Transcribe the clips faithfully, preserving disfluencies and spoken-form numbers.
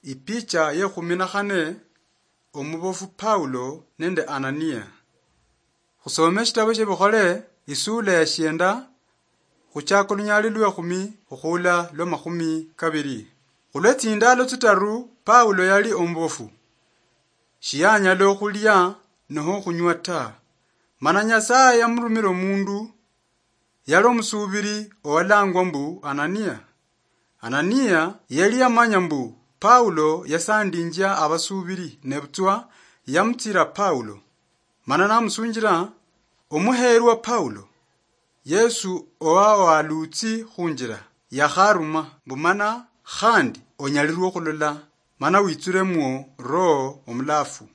Ipicha ye khumi na khane, omubofu Paulo nende Anania. Khusome eshitabo shia Bikhole, isula ya shienda, khuchaka olunyali lwa khumi khukhula lwa makhumi kabiri. Khulwe tsindalo tsitaru, Paulo yali omubofu. Shiyanyala okhulia noho okhunywa ta. Mana Nyasaye yamurumira omundu, yali omusuubiri owalangwa mbu Anania. Anania yali yamanya mbu Paulo yasandinjia abasuubiri, nebutswa yamutsira Paulo. Mana namusunjira, "Omuheerwa Paulo, Yesu owa walutsi khunjira yakharuma mbu mana khandi onyalirwe okhulola, mana witsuremwo Roho Omulafu."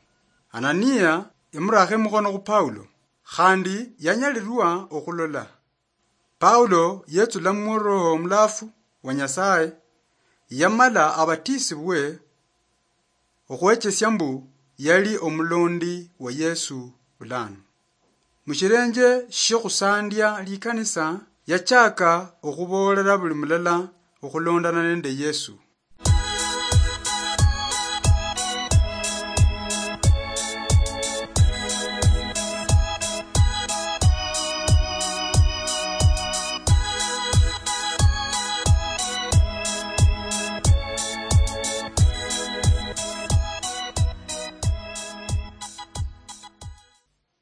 Anania yamurakha emukhono khu Paulo, khandi yanyalirwa okhulola. Paulo yetsula mu Roho Omulafu wa Nyasaye, yamala abatisibwe, okhwechesia mbu yali omulondi wa Yesu bulano. Mushirenje shiokhusandya likanisa, yachaka okhuboolera buli mulala okhulondana nende Yesu.